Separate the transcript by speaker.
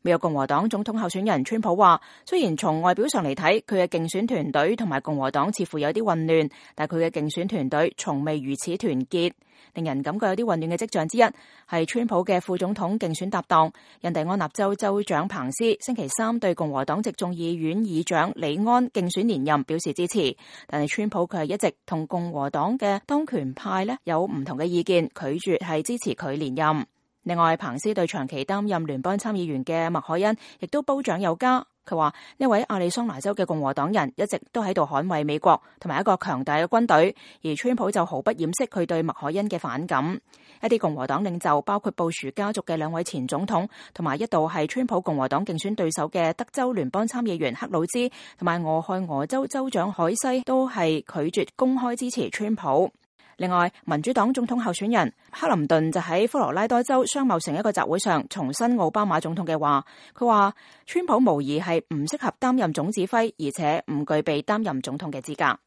Speaker 1: 美國共和黨總統候選人川普話，雖然從外表上嚟睇，佢嘅競選團隊同埋共和黨似乎有啲混亂，但佢嘅競選團隊從未如此團結。令人感覺有啲混亂嘅跡象之一，係川普嘅副總統競選搭檔印第安納州州長彭斯星期三對共和黨籍眾議院議長李安競選連任表示支持，但係川普佢係一直同共和黨嘅當權派有唔同嘅意見，拒絕係支持佢連任。另外，彭斯對長期擔任聯邦參議員嘅麥凱恩亦都褒獎有加。佢話呢位亞利桑那州嘅共和黨人一直都喺度捍衛美國同埋一個強大嘅軍隊，而川普就毫不掩飾佢對麥凱恩嘅反感。一啲共和黨領袖，包括布殊家族嘅兩位前總統，同埋一度係川普共和黨競選對手嘅德州聯邦參議員克魯茲同埋俄亥俄州州長海西，都係拒絕公開支持川普。另外，民主黨總統候選人克林頓就喺科羅拉多州商貿城一個集會上重申奧巴馬總統嘅話，佢話川普無疑係唔適合擔任總指揮，而且唔具備擔任總統嘅資格。